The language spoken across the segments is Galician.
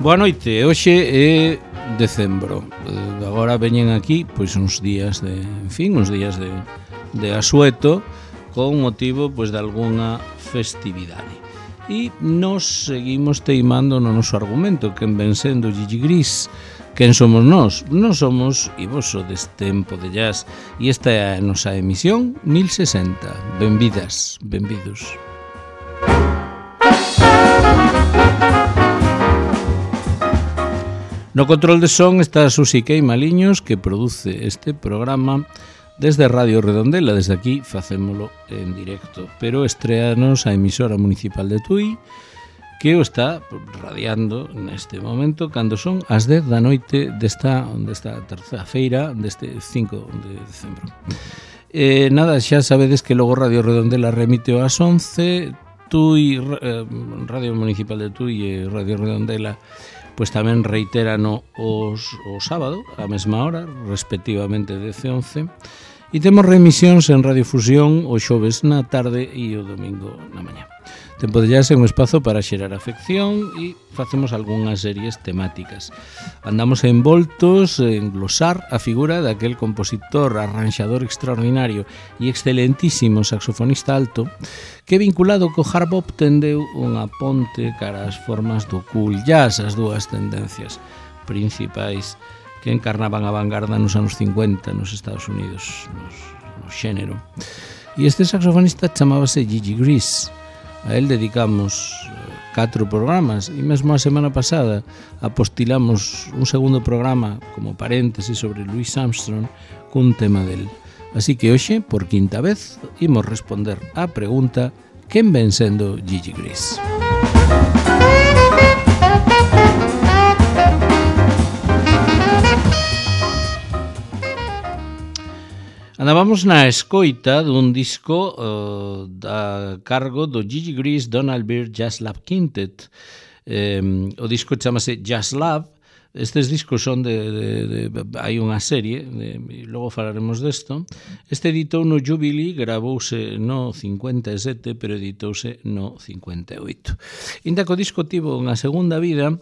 Boa noite, hoxe é decembro. Agora veñen aquí pois uns días de, de asueto con motivo pois de algunha festividade. E nos seguimos teimando no noso argumento, quen ven sendo Gigi Gris. Quen somos nós? Nós somos Ivoso deste tempo de jazz e esta é a nosa emisión 1060. Benvidas, benvidos. No control de son está Susi Queimaliños, que produce este programa desde Radio Redondela. Desde aquí facémolo en directo, pero estreanos a emisora municipal de Tui, que o está radiando neste momento cando son as 10 da noite desta terceira feira deste 5 de decembro. Nada, xa sabedes que logo Radio Redondela remite ás 11, Tui, Radio Municipal de Tui e Radio Redondela pois tamén reiterano o sábado a mesma hora, respectivamente 10 e 11, e temos remisións en Radiofusión o xoves na tarde e o domingo na mañá. Tempo de jazz é un espazo para xerar afección e facemos algunhas series temáticas. Andamos envoltos en glosar a figura daquel compositor, arranxador extraordinario e excelentísimo saxofonista alto que vinculado co hard bop tendeu unha ponte cara ás formas do cool jazz, as dúas tendencias principais que encarnaban a vanguarda nos anos 50 nos Estados Unidos, no xénero. E este saxofonista chamábase Gigi Gris. A él dedicamos 4 programas e mesmo a semana pasada apostilamos un segundo programa como paréntesis sobre Louis Armstrong cun tema del. Así que hoxe, por quinta vez, imos responder á pregunta: quen ven sendo Gigi Gris? Andábamos na escoita dun disco a cargo do Gigi Gris Donald Byrd Jazz Lab Quintet. O disco chamase Jazz Lab. Estes discos son hai unha serie, e logo falaremos desto. Este editou no Jubilee, gravouse no 57, pero editouse no 58. Inda que o disco tivo unha segunda vida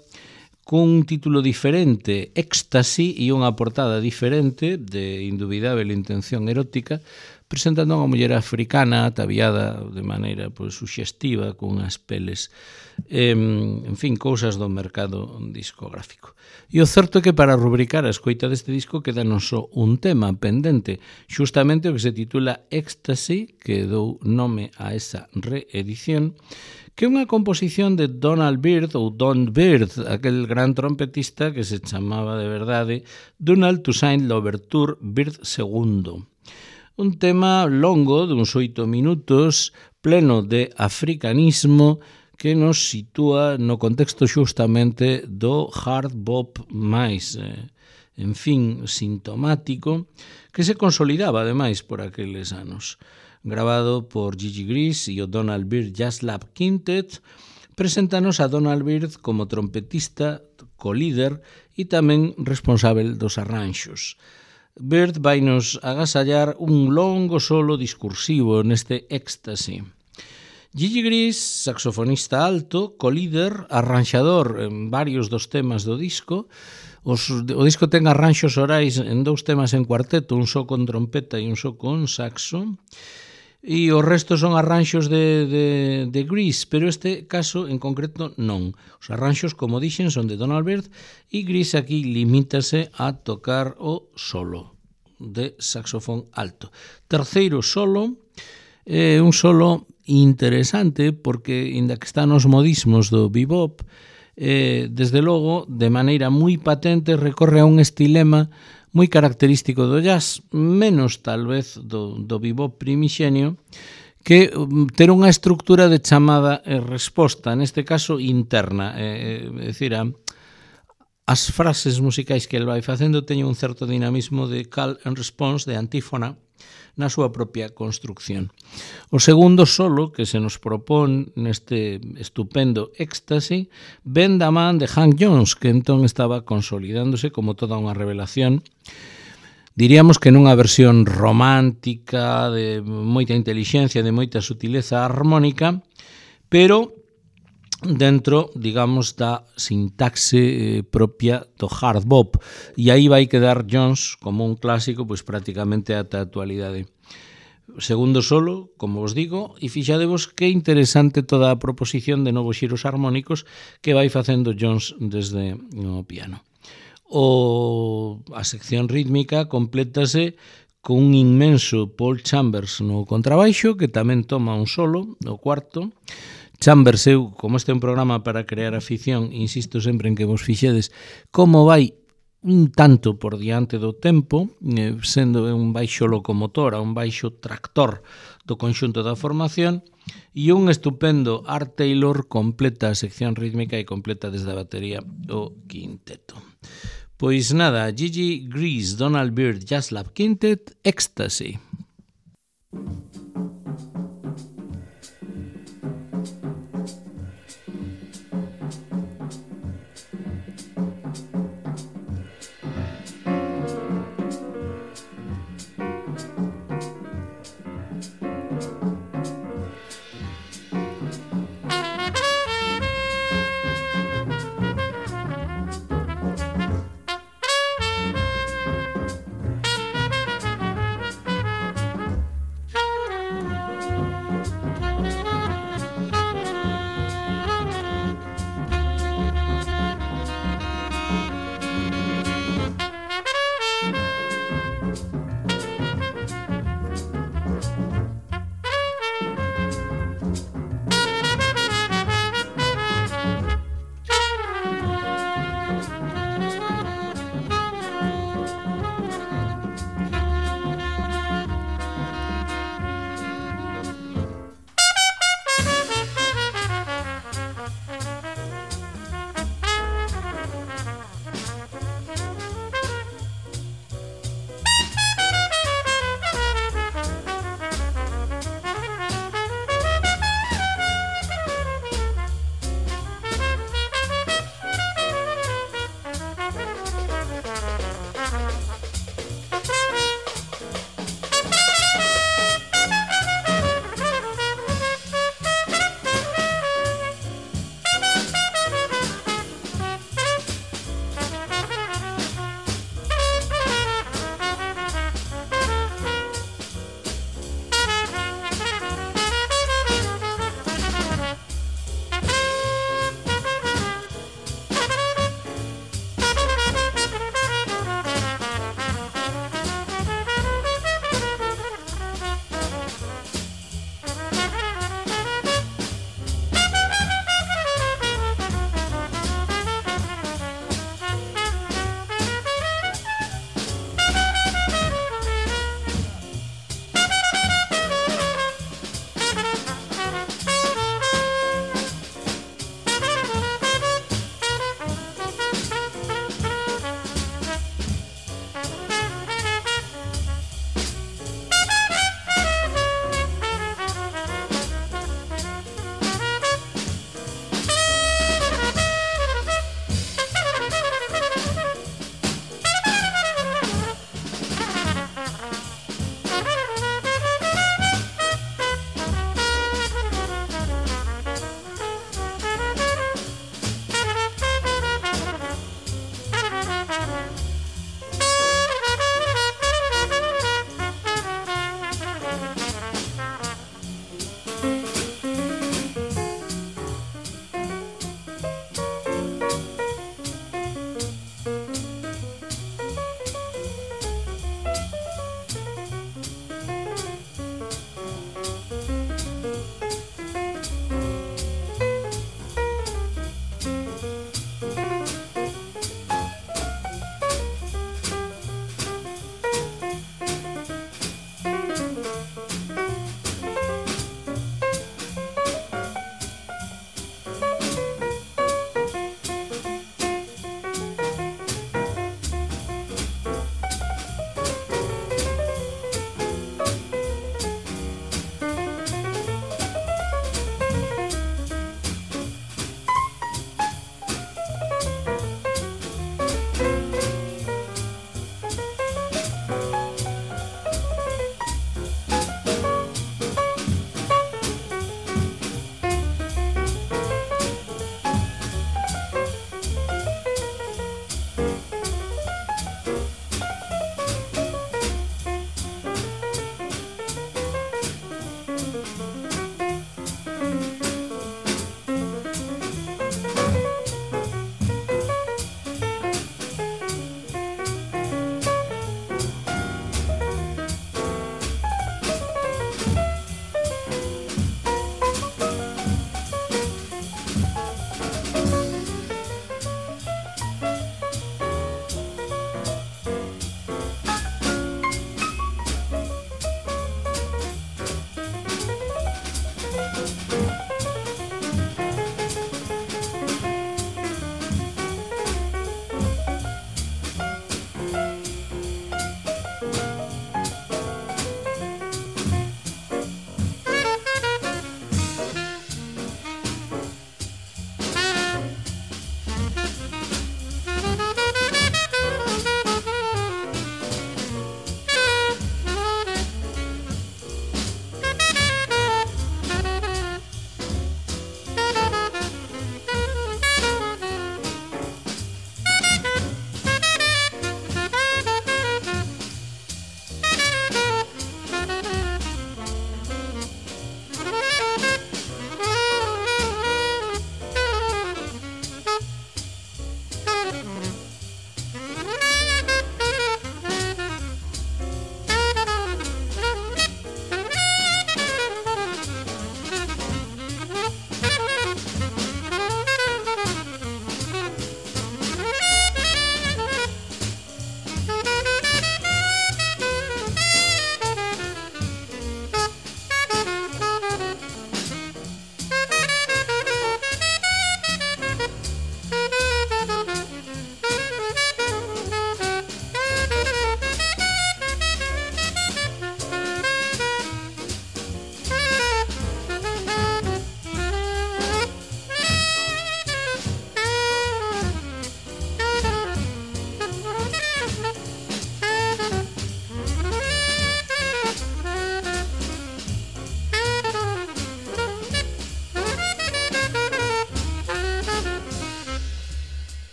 cun título diferente, Éxtasi, e unha portada diferente de indubidável intención erótica, presentando a unha muller africana ataviada de maneira suxestiva cunhas peles, en fin, cousas do mercado discográfico. E o certo é que para rubricar a escoita deste disco queda non só un tema pendente, xustamente o que se titula Éxtasi, que dou nome a esa reedición, que é unha composición de Donald Byrd, ou Don Byrd, aquel gran trompetista que se chamaba de verdade Donald Toussaint Louverture Byrd II. Un tema longo, duns 8 minutos, pleno de africanismo, que nos sitúa no contexto xustamente do hard bop máis, en fin, sintomático, que se consolidaba ademais por aqueles anos. Grabado por Gigi Gris e o Donald Byrd Jazz Lab Quintet, preséntanos a Donald Byrd como trompetista, co-líder e tamén responsável dos arranxos. Byrd vainos agasallar un longo solo discursivo neste éxtasi. Gigi Gris, saxofonista alto, co-líder, arranxador en varios dos temas do disco. O disco ten arranxos orais en 2 temas en cuarteto, un só con trompeta e un só con saxo, e o resto son arranxos de Gris, pero este caso en concreto non. Os arranxos, como dixen, son de Donald Byrd e Gris aquí limítase a tocar o solo de saxofón alto. Terceiro solo, un solo interesante porque, inda que está nos modismos do bebop, desde logo, de maneira moi patente, recorre a un estilema moi característico do jazz, menos tal vez do bebop primixenio, que ter unha estructura de chamada e resposta, neste caso interna, é dicir, as frases musicais que el vai facendo teñen un certo dinamismo de call and response, de antífona, na súa propia construcción. O segundo solo que se nos propón neste estupendo éxtasi ven da man de Hank Jones, que entón estaba consolidándose como toda unha revelación, diríamos que nunha versión romántica, de moita intelixencia, de moita sutileza armónica, pero dentro, digamos, da sintaxe propia do hard bop, e aí vai quedar Jones como un clásico pois prácticamente ata a actualidade. Segundo solo, como vos digo, e fixadevos que interesante toda a proposición de novos xiros armónicos que vai facendo Jones desde o piano. A sección rítmica complétase con un inmenso Paul Chambers no contrabaixo, que tamén toma un solo, o cuarto. Chambers, eu, como este é un programa para crear afición, insisto sempre en que vos fixedes como vai un tanto por diante do tempo, sendo un baixo locomotora, un baixo tractor do conxunto da formación, e un estupendo Art Taylor completa a sección rítmica e completa desde a batería o quinteto. Pois nada, Gigi Grease, Donald Byrd Jazz Lab Quintet, Ecstasy.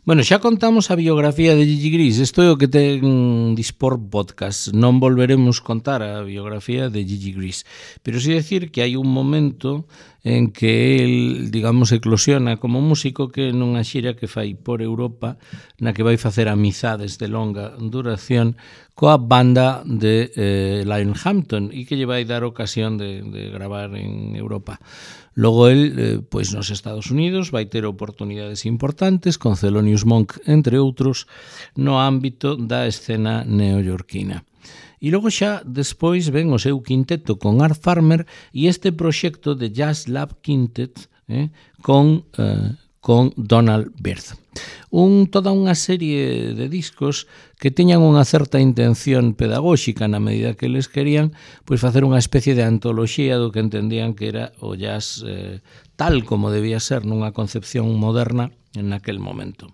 Bueno, xa contamos a biografía de Gigi Gris, isto é o que ten Dispor Podcast. Non volveremos contar a biografía de Gigi Gris, pero sí decir que hai un momento en que el, digamos, eclosiona como músico, que nunha xira que fai por Europa, na que vai facer amizades de longa duración coa banda de Lionhampton e que lle vai dar ocasión de gravar en Europa. Logo el, pois nos Estados Unidos, vai ter oportunidades importantes con Thelonious Monk, entre outros, no ámbito da escena neoyorquina. E logo xa despois ven o seu quinteto con Art Farmer e este proxecto de Jazz Lab Quintet con Donald Byrd. Toda unha serie de discos que teñan unha certa intención pedagóxica na medida que eles querían pois facer unha especie de antoloxía do que entendían que era o jazz tal como debía ser nunha concepción moderna en aquel momento.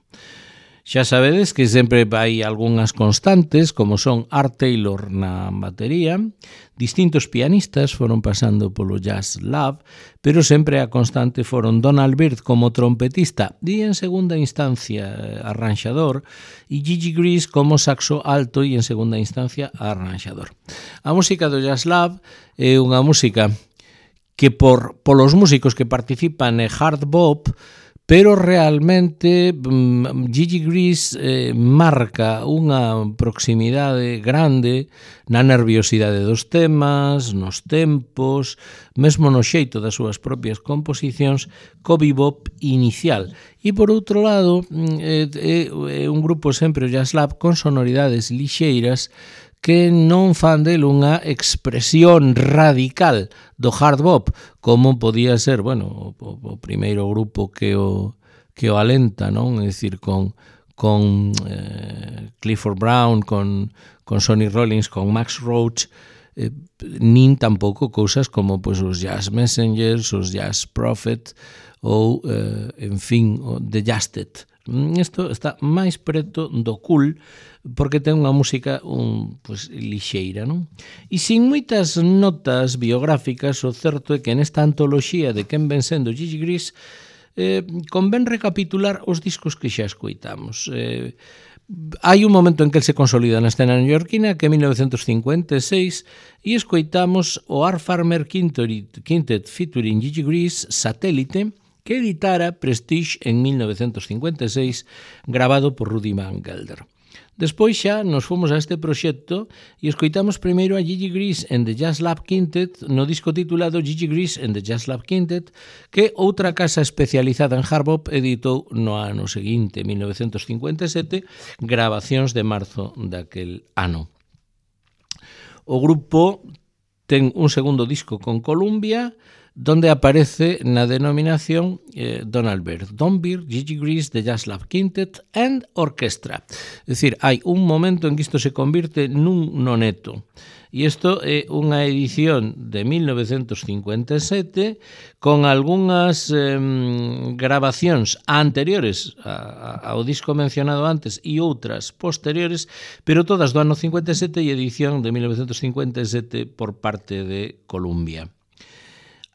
Xa sabedes que sempre hai algunhas constantes, como son Art Taylor na batería, distintos pianistas foron pasando polo Jazz Lab, pero sempre a constante foron Donald Byrd como trompetista e en segunda instancia arranxador, e Gigi Gris como saxo alto e en segunda instancia arranxador. A música do Jazz Lab é unha música que polos músicos que participan é hard bop, pero realmente Gigi Gris marca unha proximidade grande na nerviosidade dos temas, nos tempos, mesmo no xeito das súas propias composicións, co bebop inicial. E por outro lado, é un grupo sempre o Jazz Lab con sonoridades lixeiras que non fan del unha expresión radical do hard bop, como podía ser, bueno, o primeiro grupo que o alenta, non? É dicir, con Clifford Brown, con Sonny Rollins, con Max Roach, nin tampouco cousas como pois, os Jazz Messengers, os Jazz Prophet ou, en fin, o The Jazzed. Isto está máis preto do cool porque ten unha música pois, lixeira, non? E sin moitas notas biográficas, o certo é que nesta antoloxía de quen ven sendo Gigi Gris convén recapitular os discos que xa escoitamos. Hai un momento en que el se consolida na escena neoyorquina, que é 1956, e escoitamos o Art Farmer Quintet featuring Gigi Gris, Satélite, que editara Prestige en 1956, grabado por Rudy Van Gelder. Despois xa nos fomos a este proxecto e escoitamos primeiro a Gigi Gris and the Jazz Lab Quintet no disco titulado Gigi Gris and the Jazz Lab Quintet, que outra casa especializada en hard bop editou no ano seguinte, 1957, grabacións de marzo daquel ano. O grupo ten un segundo disco con Columbia, donde aparece na denominación Donald Byrd, Don Byrd, Gigi Gris, The Jazz Lab Quintet and Orchestra. É dicir, hai un momento en que isto se convirte nun noneto. E isto é unha edición de 1957 con algunhas grabacións anteriores ao disco mencionado antes e outras posteriores, pero todas do ano 57 e edición de 1957 por parte de Columbia.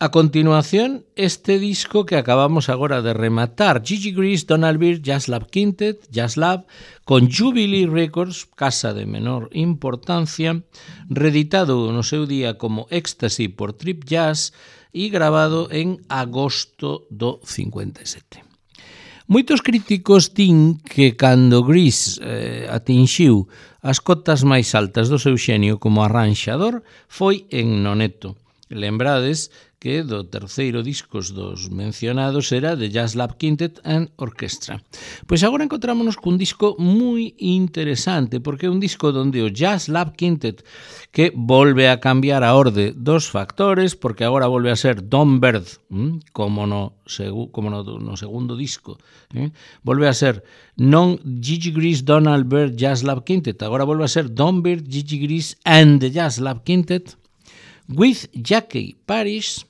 A continuación, este disco que acabamos agora de rematar, Gigi Gris, Donald Byrd, Jazz Lab Quintet, Jazz Lab, con Jubilee Records, casa de menor importancia, reeditado no seu día como Ecstasy por Trip Jazz e grabado en agosto do 57. Moitos críticos din que cando Gris atinxiu as cotas máis altas do seu xenio como arranxador foi en Noneto. Lembrades que do terceiro discos dos mencionados era The Jazz Lab Quintet and Orchestra. Pois agora encontrámonos cun disco moi interesante, porque é un disco onde o Jazz Lab Quintet, que volve a cambiar a orde dos factores, porque agora volve a ser Don Byrd, como no segundo disco, volve a ser non Gigi Gris, Donald Byrd, Jazz Lab Quintet, agora volve a ser Don Byrd, Gigi Gris and the Jazz Lab Quintet, with Jackie Parish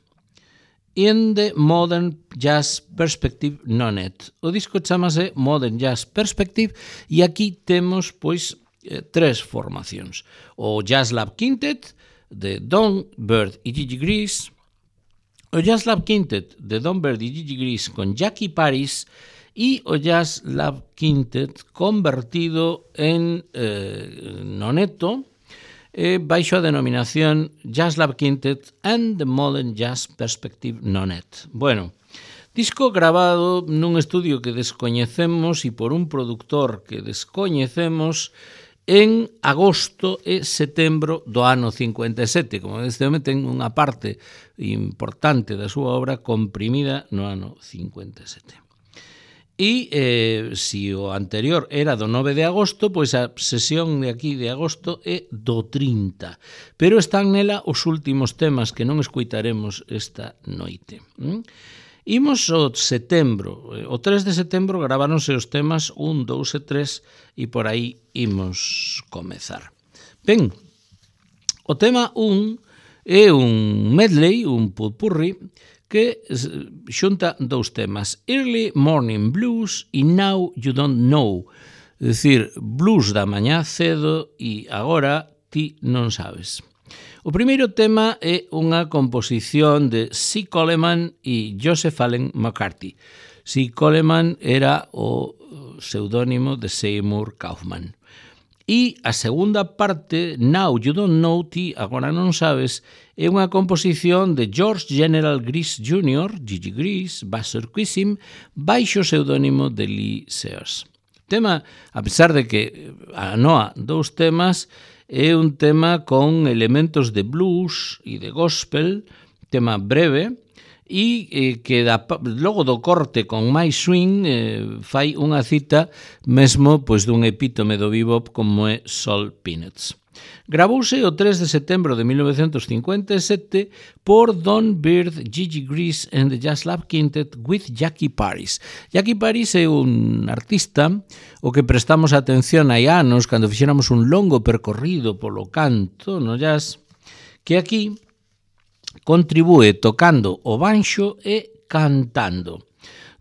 in the Modern Jazz Perspective Nonet. O disco chamase Modern Jazz Perspective e aquí temos, pois, tres formacións. O Jazz Lab Quintet de Don Byrd e Gigi Gris, o Jazz Lab Quintet de Don Byrd e Gigi Gris con Jackie Parish e o Jazz Lab Quintet convertido en noneto baixo a denominación Jazz Lab Quintet and the Modern Jazz Perspective Nonet. Bueno, disco grabado nun estudio que descoñecemos e por un produtor que descoñecemos en agosto e setembro do ano 57. Como este home ten unha parte importante da súa obra comprimida no ano 57. E se o anterior era do 9 de agosto, pois a sesión de aquí de agosto é do 30. Pero están nela os últimos temas que non escoitaremos esta noite. Imos ao setembro. O 3 de setembro graváronse os temas 1, 2 e 3 e por aí imos comezar. Ben, o tema 1 é un medley, un pulpurri, que xunta dous temas, Early Morning Blues e Now You Don't Know, é dicir, blues da mañá cedo e agora ti non sabes. O primeiro tema é unha composición de C. Coleman e Joseph Allen McCarthy. C. Coleman era o pseudónimo de Seymour Kaufman. E a segunda parte, Now You Don't Know, ti agora non sabes, é unha composición de George General Gris Jr., Gigi Gris, Buster Quisim, baixo o pseudónimo de Lee Sears. O tema, a pesar de que anoa dous temas, é un tema con elementos de blues e de gospel, tema breve, e que logo do corte con máis swing fai unha cita mesmo pois dun epítome do bebop como é Sol Peanuts. Gravouse o 3 de setembro de 1957 por Don Byrd, Gigi Gris and the Jazz Lab Quintet with Jackie Paris. Jackie Paris é un artista o que prestamos atención hai anos cando fixéramos un longo percorrido polo canto no jazz, que aquí contribúe tocando o banxo e cantando.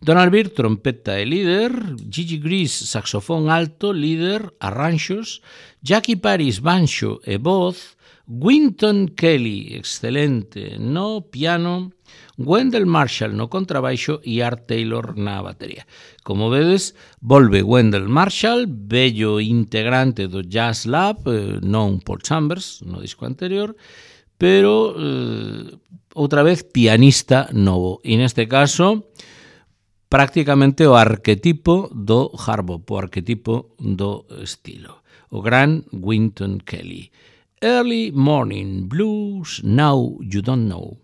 Donald Byrd, trompeta e líder, Gigi Gris, saxofón alto, líder, arranxos, Jackie Paris, banxo e voz, Wynton Kelly, excelente, no piano, Wendell Marshall no contrabaixo e Art Taylor na batería. Como vedes, volve Wendell Marshall, bello integrante do Jazz Lab, non Paul Chambers, no disco anterior, pero outra vez pianista novo. E neste caso, prácticamente o arquetipo do hard bop, o arquetipo do estilo. O gran Wynton Kelly. Early Morning Blues, Now You Don't Know.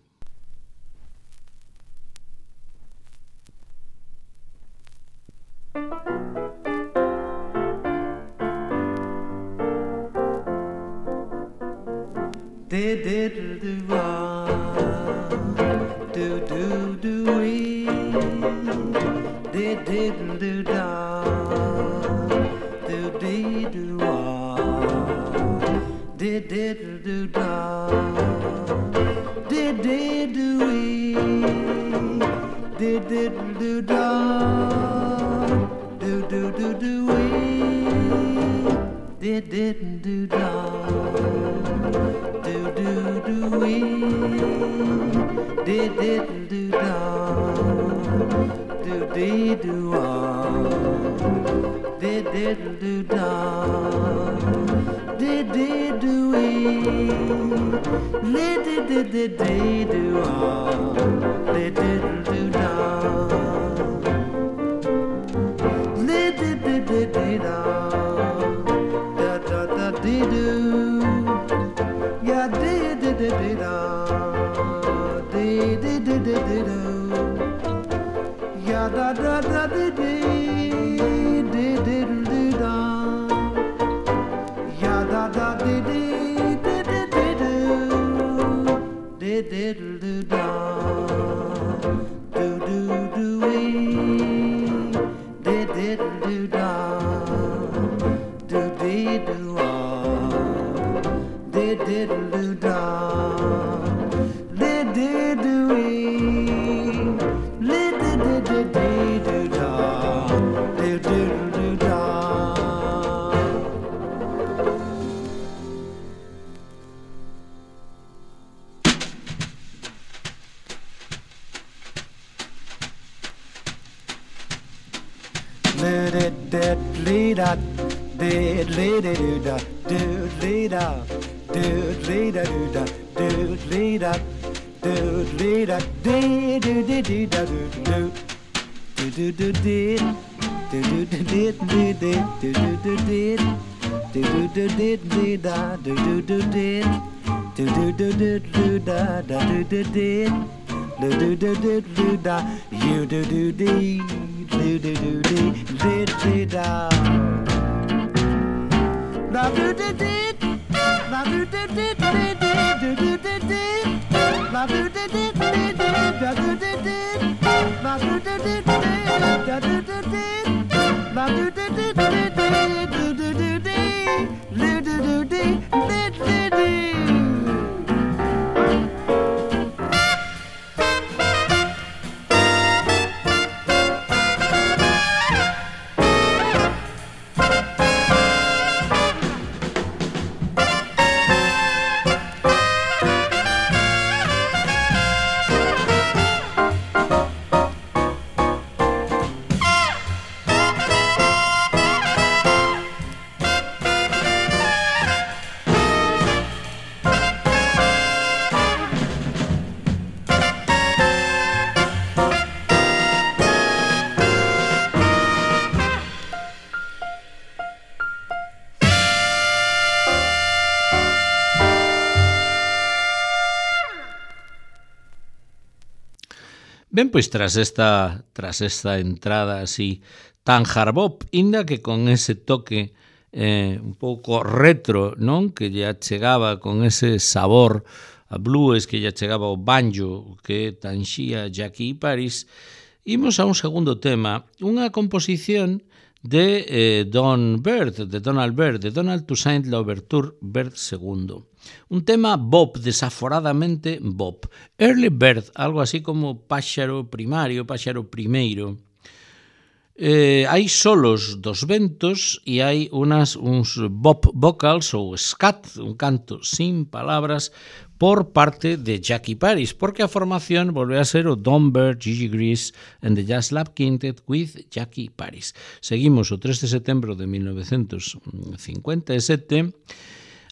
Doodly-da, doodly-da, doodly-da, doodly-da, doodly-da, doodly-da, dee-doo-dee-dee-da, doo-doo-doo, doo-doo-doo-dee, doo-doo-doo-dee-dee-dee, doo-doo-doo-dee, doo-doo-doo-dee-dee-da, doo-doo-doo-dee, doo-doo-doo-doo-da, da-doo-doo-dee, doo-doo-doo-doo-da, you-doo-doo-dee, doo-doo-doo-dee, dee-dee-da. La do do did, la do do did, do do did, la do do did, da do do did, la do do did, da do do did, la do do did, do do do did, do do do did, did did. Ben, pois tras esta entrada así tan hard bop, inda que con ese toque un pouco retro, non? Que lle chegaba con ese sabor a blues, que lle chegaba o banjo que tanxía Jackie Paris, imos a un segundo tema, unha composición de Donald Byrd, de Donald Toussaint Louverture Byrd II. Un tema bop, desaforadamente bop. Early Bird, algo así como páxaro primario, páxaro primeiro. Hai solos dos ventos e hai uns bop vocals ou scat, un canto sin palabras, por parte de Jackie Paris, porque a formación volve a ser o Don Byrd, Gigi Grease and the Jazz Lab Quintet with Jackie Paris. Seguimos o 3 de setembro de 1957.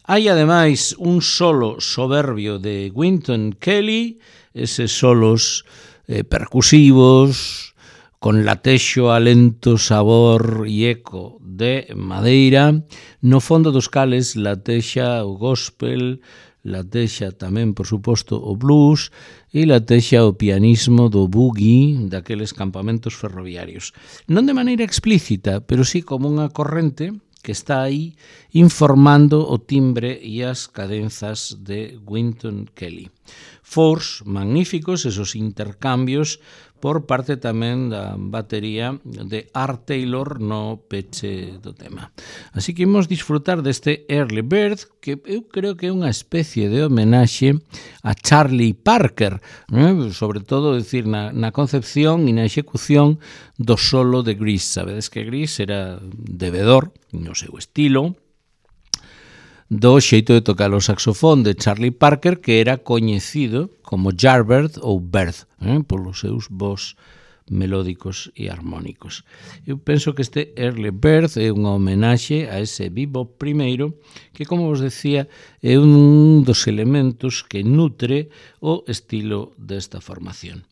Hai, ademais, un solo soberbio de Wynton Kelly, eses solos percusivos, con latexo, alento, sabor e eco de madeira, no fondo dos cales latexa o gospel, latexa tamén, por suposto, o blues e latexa o pianismo do boogie daqueles campamentos ferroviarios. Non de maneira explícita, pero sí como unha corrente que está aí informando o timbre e as cadenzas de Wynton Kelly. Fors magníficos esos intercambios por parte tamén da batería de Art Taylor no peche do tema. Así que imos disfrutar deste Early Bird, que eu creo que é unha especie de homenaxe a Charlie Parker, sobre todo, decir, na concepción e na execución do solo de Grease. Sabedes que Grease era debedor, no seu estilo, do xeito de tocar o saxofón de Charlie Parker, que era coñecido como Yardbird ou Bird, polos seus vós melódicos e armónicos. Eu penso que este Early Bird é unha homenaxe a ese bebop primeiro, que, como vos decía, é un dos elementos que nutre o estilo desta formación.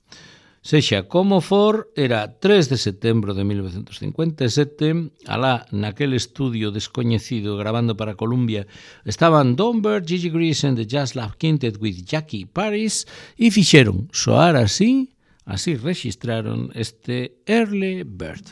Sexa como for, era 3 de setembro de 1957, alá naquele estudio descoñecido grabando para Columbia estaban Don Byrd, Gigi Grease and the Jazz Lab Quintet with Jackie Paris e fixeron soar así registraron este Early Bird.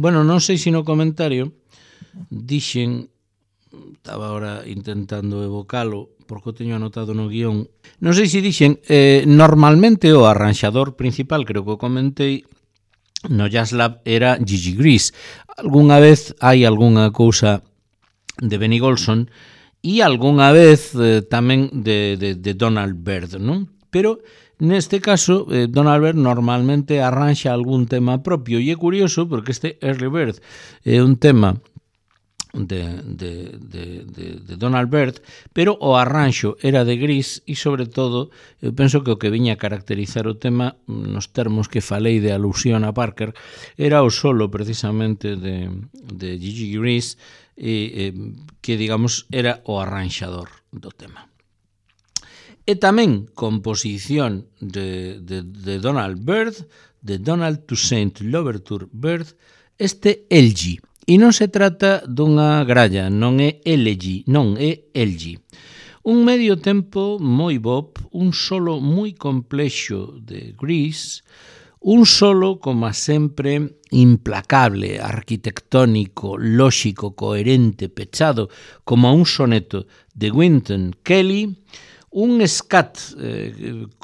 Bueno, non sei se no comentario dixen, estaba agora intentando evocalo porque o teño anotado no guión, non sei se dixen, normalmente o arranxador principal, creo que o comentei, no Jazz Lab era Gigi Gris. Algúnha vez hai algunha cousa de Benny Golson e algunha vez tamén de Donald Byrd, non? Pero neste caso, Donald Byrd normalmente arranxa algún tema propio e é curioso porque este Early Bird é un tema de Donald Byrd, pero o arranxo era de Gris e, sobre todo, eu penso que o que viña a caracterizar o tema, nos termos que falei de alusión a Parker, era o solo, precisamente, de Gigi Gris, que, digamos, era o arranxador do tema. E tamén composición de Donald Byrd, de Donald Toussaint Louverture Byrd, este Elgie. E non se trata dunha gralla, non é elegy, non é Elgie. Un medio tempo moi bop, un solo moi complexo de Gris, un solo, como sempre, implacable, arquitectónico, lóxico, coherente, pechado, como un soneto de Wynton Kelly, un scat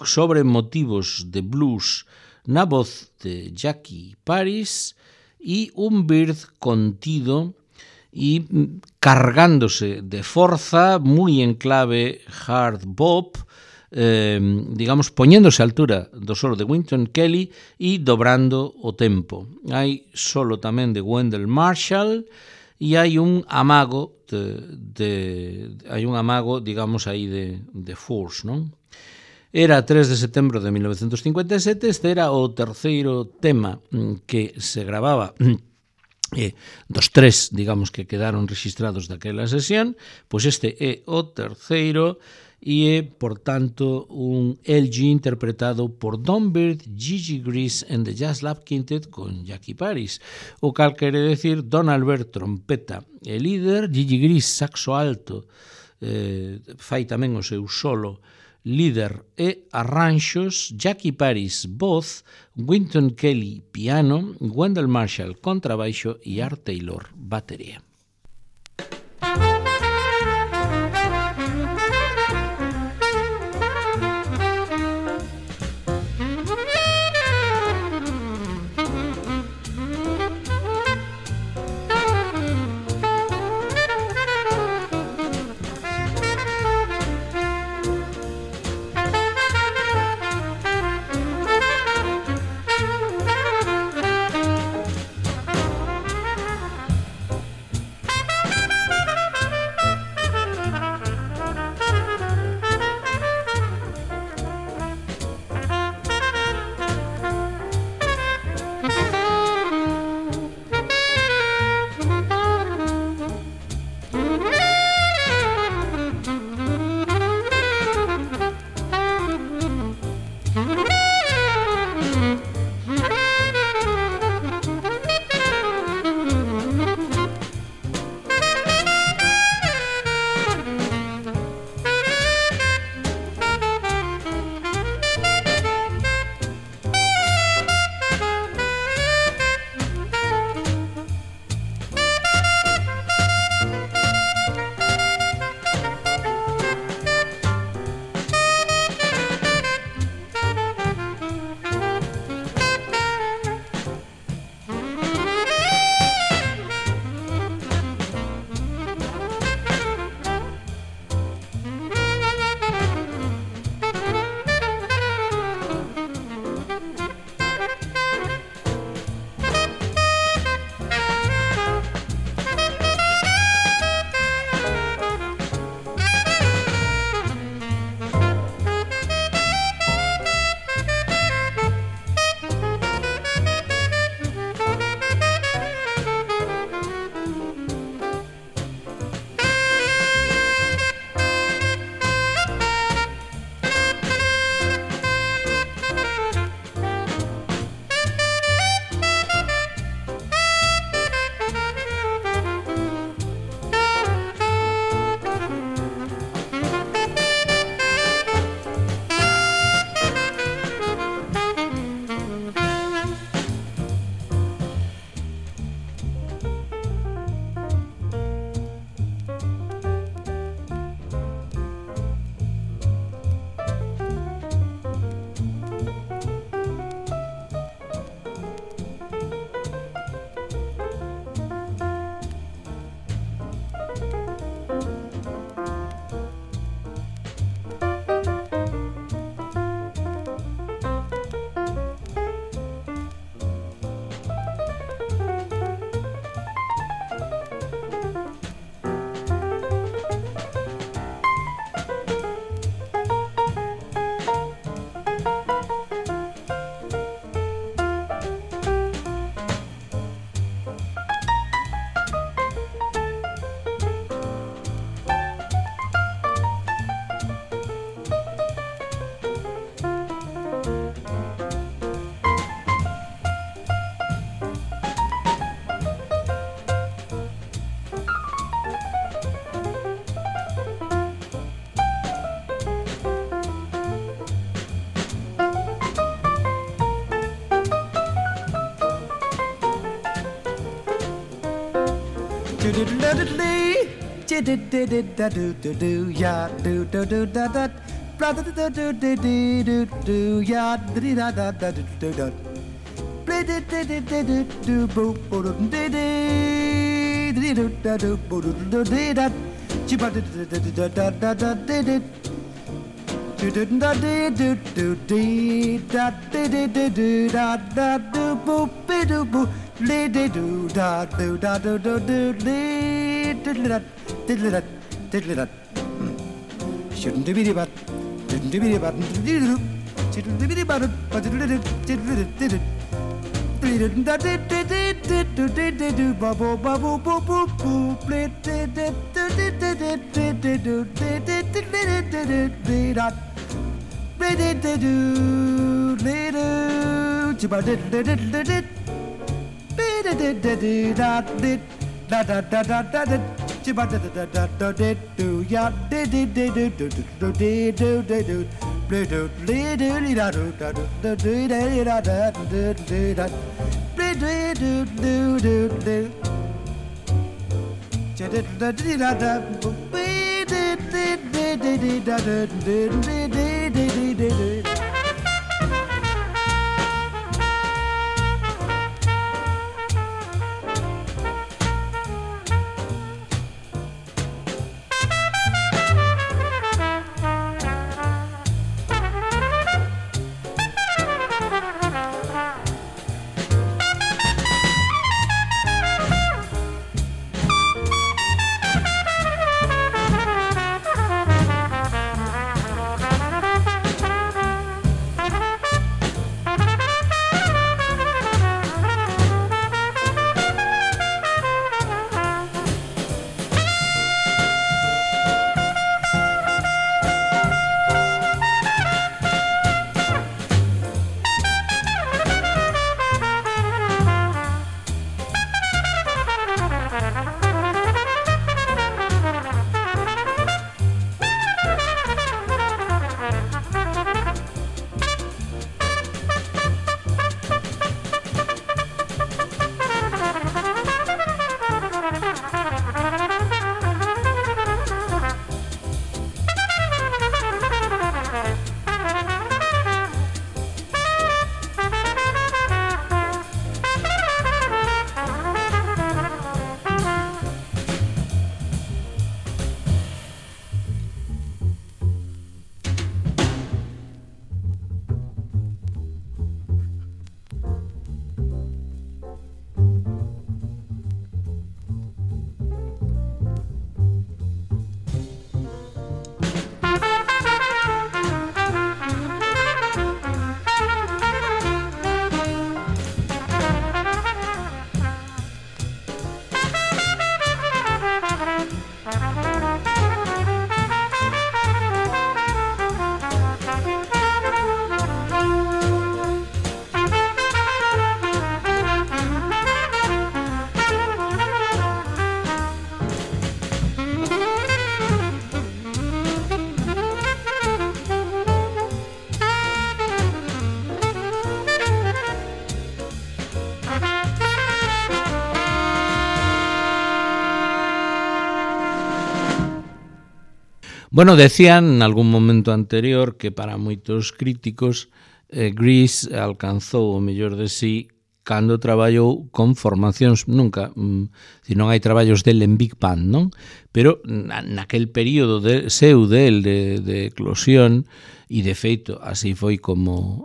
sobre motivos de blues na voz de Jackie Paris e un Byrd contido y cargándose de forza, muy en clave hard bop, digamos, poñéndose a altura do solo de Wynton Kelly e dobrando o tempo. Hai solo tamén de Wendell Marshall e hai un amago digamos, aí de force, non? Era 3 de setembro de 1957, este era o terceiro tema que se gravaba dos tres, digamos, que quedaron registrados daquela sesión, pois este é o terceiro e é, por tanto, un LG interpretado por Don Byrd, Gigi Grease and the Jazz Lab Quintet con Jackie Paris, o cal quere decir Donald Byrd trompeta e líder, Gigi Grease saxo alto, fai tamén o seu solo líder e arranxos, Jackie Paris voz, Wynton Kelly piano, Wendell Marshall contrabaixo e Art Taylor batería. Bueno, decían en algún momento anterior que para moitos críticos Grease alcanzou o mellor de sí cando traballou con formacións nunca, si non hai traballos del en Big Band, non? Pero naquel período seu del de eclosión, e de feito así foi como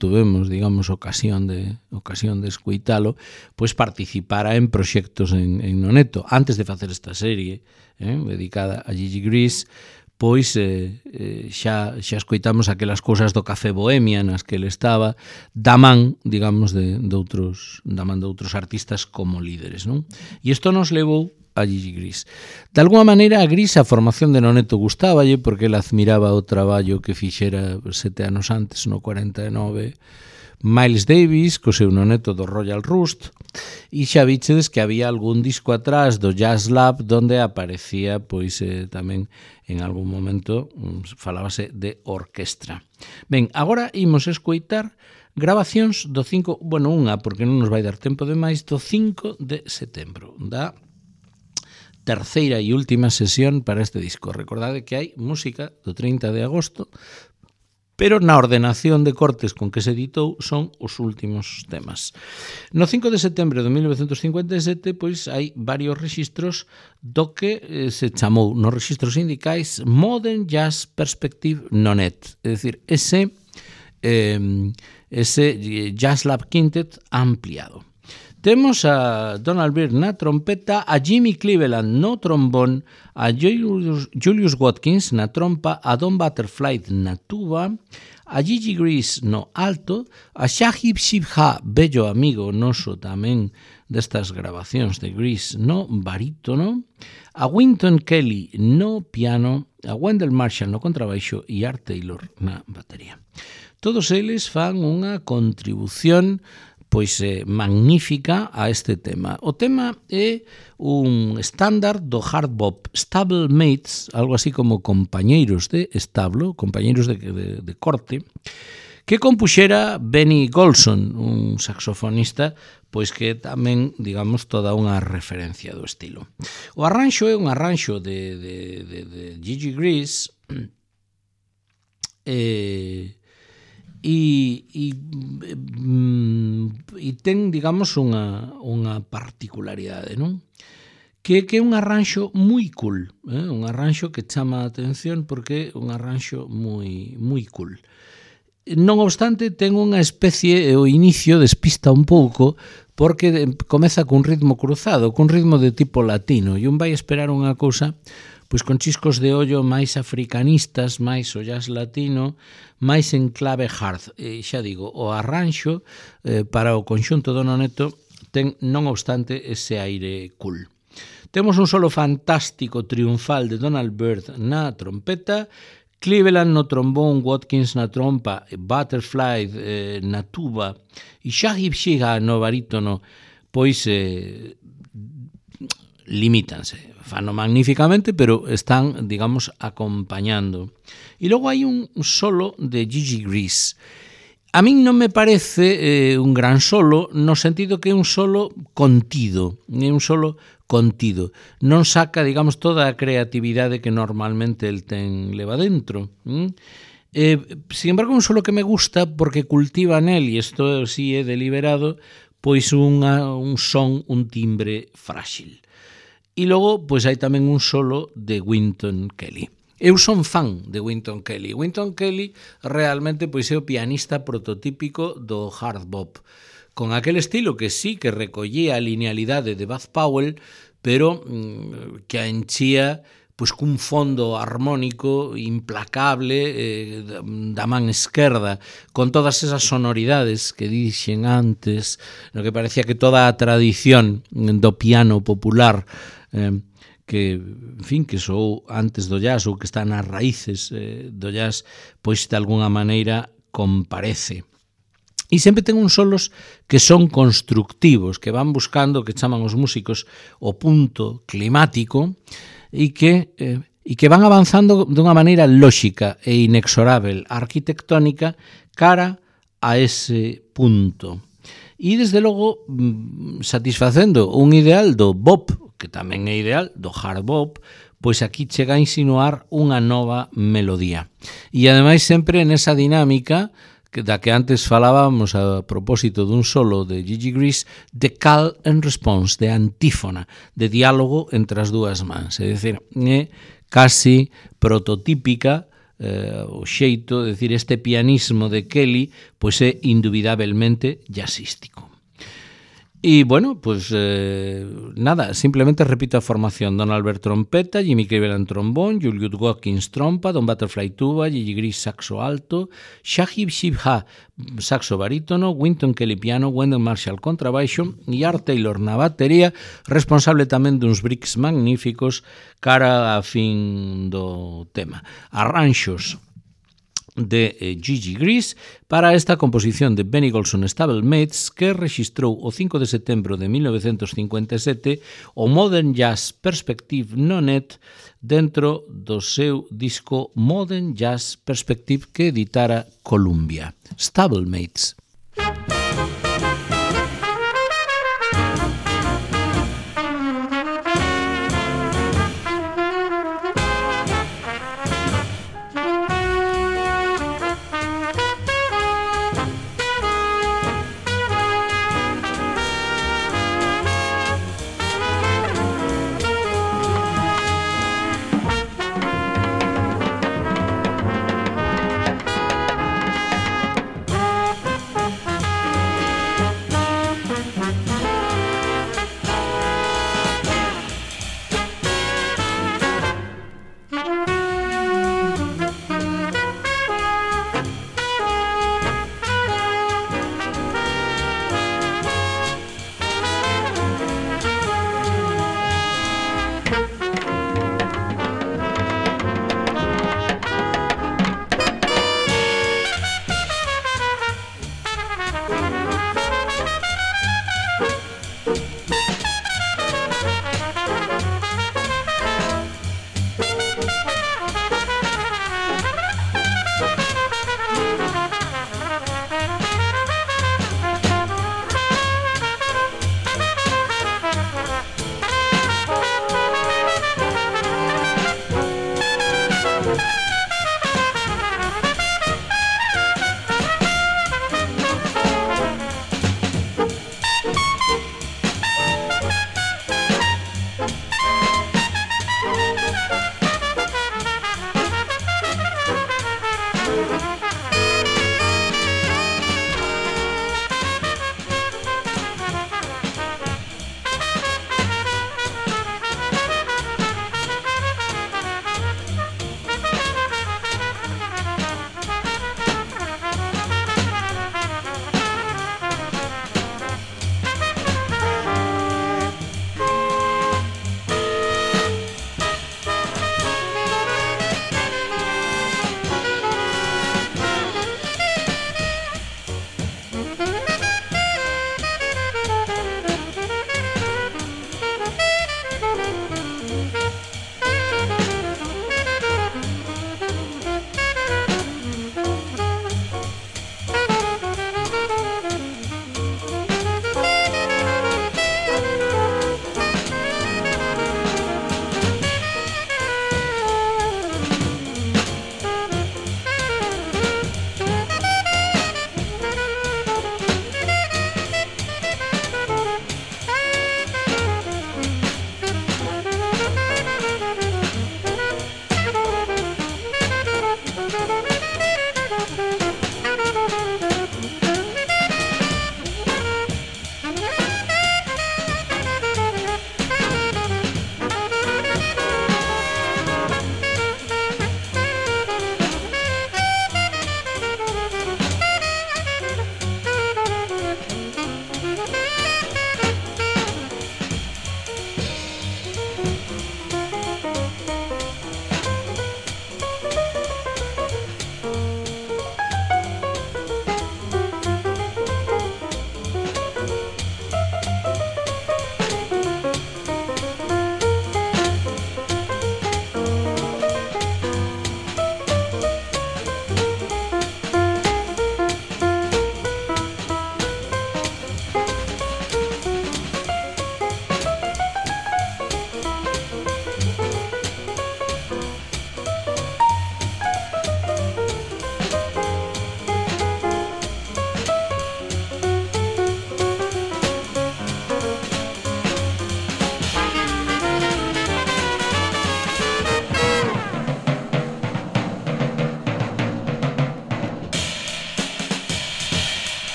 tuvemos, digamos, ocasión de escuitalo, pois participara en proxectos en Noneto antes de facer esta serie dedicada a Gigi Grease. Pois xa escoitamos aquelas cousas do Café Bohemia nas que ele estaba da man, digamos, de outros artistas como líderes, non? E isto nos levou a Gigi Grease. De alguma maneira, a Grease, a formación de Noneto gustáballe porque ele admiraba o traballo que fixera 7 anos antes, no 49, Miles Davis, co seu noneto do Royal Rust, e xa vichedes que había algún disco atrás do Jazz Lab donde aparecía, pois, tamén en algún momento falábase de orquestra. Ben, agora imos escoitar grabacións do 5, bueno, unha, porque non nos vai dar tempo de máis, do 5 de setembro, da terceira e última sesión para este disco. Recordade que hai música do 30 de agosto, pero na ordenación de cortes con que se editou son os últimos temas. No 5 de setembro de 1957, pois hai varios rexistros do que se chamou nos rexistros sindicais Modern Jazz Perspective No Net, é dicir, ese Jazz Lab Quintet ampliado. Temos a Donald Byrd na trompeta, a Jimmy Cleveland no trombón, a Julius Watkins na trompa, a Don Butterfly na tuba, a Gigi Gris no alto, a Shahib Shibha, bello amigo noso tamén destas grabacións de Gris no barítono, a Wynton Kelly no piano, a Wendell Marshall no contrabaixo e Art Taylor na batería. Todos eles fan unha contribución pois magnífica a este tema. O tema é un estándar do hard bop, stablemates, algo así como compañeiros de establo, compañeiros de corte, que compuxera Benny Golson, un saxofonista, pois que tamén, digamos, toda unha referencia do estilo. O arranxo é un arranxo de Gigi Gris, e ten, digamos, unha particularidade, non? Que é un arranxo moi cool, un arranxo que chama a atención porque é un arranxo moi cool. Non obstante, ten unha especie, o inicio despista un pouco porque comeza cun ritmo cruzado, cun ritmo de tipo latino, e un vai esperar unha cousa pois con chiscos de ollo máis africanistas, máis o jazz latino, máis en clave hard. E xa digo, o arranxo para o conxunto do noneto ten, non obstante, ese aire cool. Temos un solo fantástico triunfal de Donald Byrd na trompeta, Cleveland no trombón, Watkins na trompa, Butterfly na tuba e Shahib Shibha no barítono, pois limítanse. Fano magníficamente, pero están, digamos, acompañando. E logo hai un solo de Gigi Gris. A min non me parece un gran solo, no sentido que é un solo contido, é un solo contido. Non saca, digamos, toda a creatividade que normalmente el ten leva dentro. Sin embargo, un solo que me gusta porque cultiva nel, e isto sí é deliberado, pois un son, un timbre frágil. E logo, pois hai tamén un solo de Wynton Kelly. Eu son fan de Wynton Kelly. Wynton Kelly realmente pois é o pianista prototípico do hard bop, con aquel estilo que sí que recollía a linealidade de Bud Powell, pero que a enchía pois cun fondo armónico implacable da man esquerda, con todas esas sonoridades que dixen antes, no que parecía que toda a tradición do piano popular que, en fin, que sou antes do jazz ou que está nas raíces do jazz, pois de alguna maneira comparece. E sempre ten uns solos que son constructivos, que van buscando, que chaman os músicos, o punto climático e que van avanzando dunha maneira lóxica e inexorável, arquitectónica, cara a ese punto. E, desde logo, satisfacendo un ideal do bop, que tamén é ideal, do hard bop, pois aquí chega a insinuar unha nova melodía. E, ademais, sempre nesa dinámica da que antes falábamos a propósito dun solo de Gigi Gris, de call and response, de antífona, de diálogo entre as dúas mans. É dicir, é casi prototípica o xeito, é dicir, este pianismo de Kelly, pois é indubidablemente jazzístico. E, bueno, pues nada, simplemente repito a formación. Donald Byrd trompeta, Jimmy Cleveland trombón, Julius Watkins trompa, Don Butterfly tuba, Gigi Gris saxo alto, Shahib Shibha saxo barítono, Wynton Kelly piano, Wendell Marshall contrabaixo e Art Taylor na batería, responsable tamén duns breaks magníficos cara a fin do tema. Arranxos de Gigi Gris para esta composición de Benny Golson Stablemates, que registrou o 5 de setembro de 1957 o Modern Jazz Perspective No Net dentro do seu disco Modern Jazz Perspective que editara Columbia. Stablemates.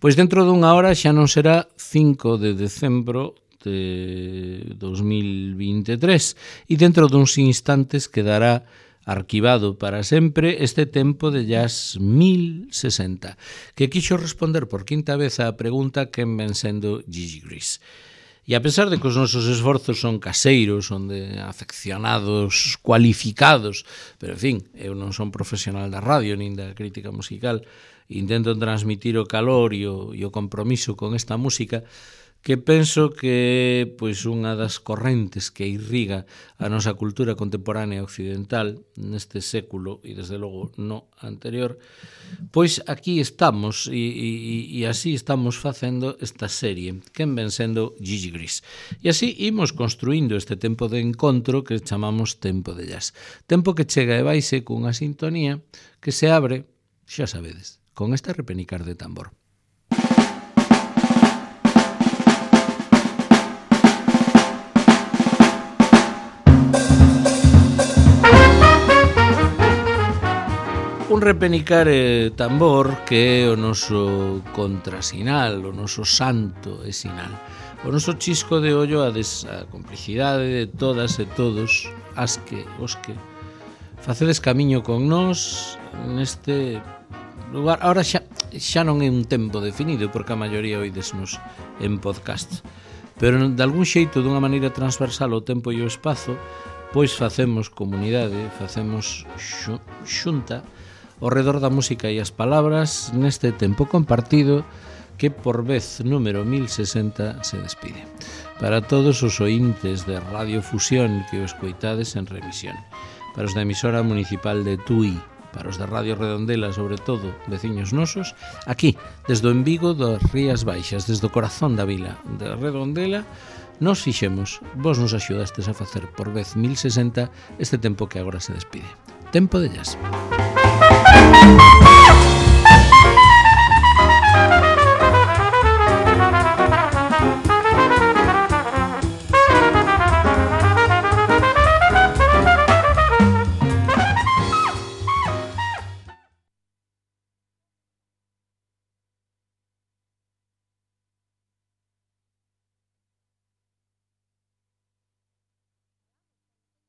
Pois dentro dunha hora xa non será 5 de decembro de 2023 e dentro duns instantes quedará arquivado para sempre este tempo de jazz 1060, que quixo responder por quinta vez á pregunta quen ven sendo Gigi Gris. E a pesar de que os nosos esforzos son caseiros, son de afeccionados cualificados, pero en fin, eu non son profesional da radio nin da crítica musical, intento transmitir o calor e o compromiso con esta música, que penso que pois unha das correntes que irriga a nosa cultura contemporánea occidental neste século e desde logo no anterior, pois aquí estamos e así estamos facendo esta serie, quen ven sendo Gigi Gris. E así imos construindo este tempo de encontro que chamamos tempo de jazz. Tempo que chega e vaise cunha sintonía que se abre, xa sabedes, con este repenicar de tambor. Un repenicar tambor que é o noso contrasinal, o noso santo e sinal. O noso chisco de ollo a complicidade de todas e todos os que facedes camiño con nós neste lugar. Ahora xa non é un tempo definido, porque a maioría oidesnos en podcast, pero de algún xeito, dunha maneira transversal o tempo e o espazo, pois facemos comunidade, facemos xunta ao redor da música e as palabras neste tempo compartido que por vez número 1060 se despide. Para todos os ointes de Radio Fusión que o escoitades en remisión, para os da emisora municipal de Tui, para os da Radio Redondela, sobre todo, veciños nosos, aquí, desde o Envigo das Rías Baixas, desde o corazón da vila de Redondela, nos fixemos, vos nos axudastes a facer por vez 1060 este tempo que agora se despide. Tempo de jazz.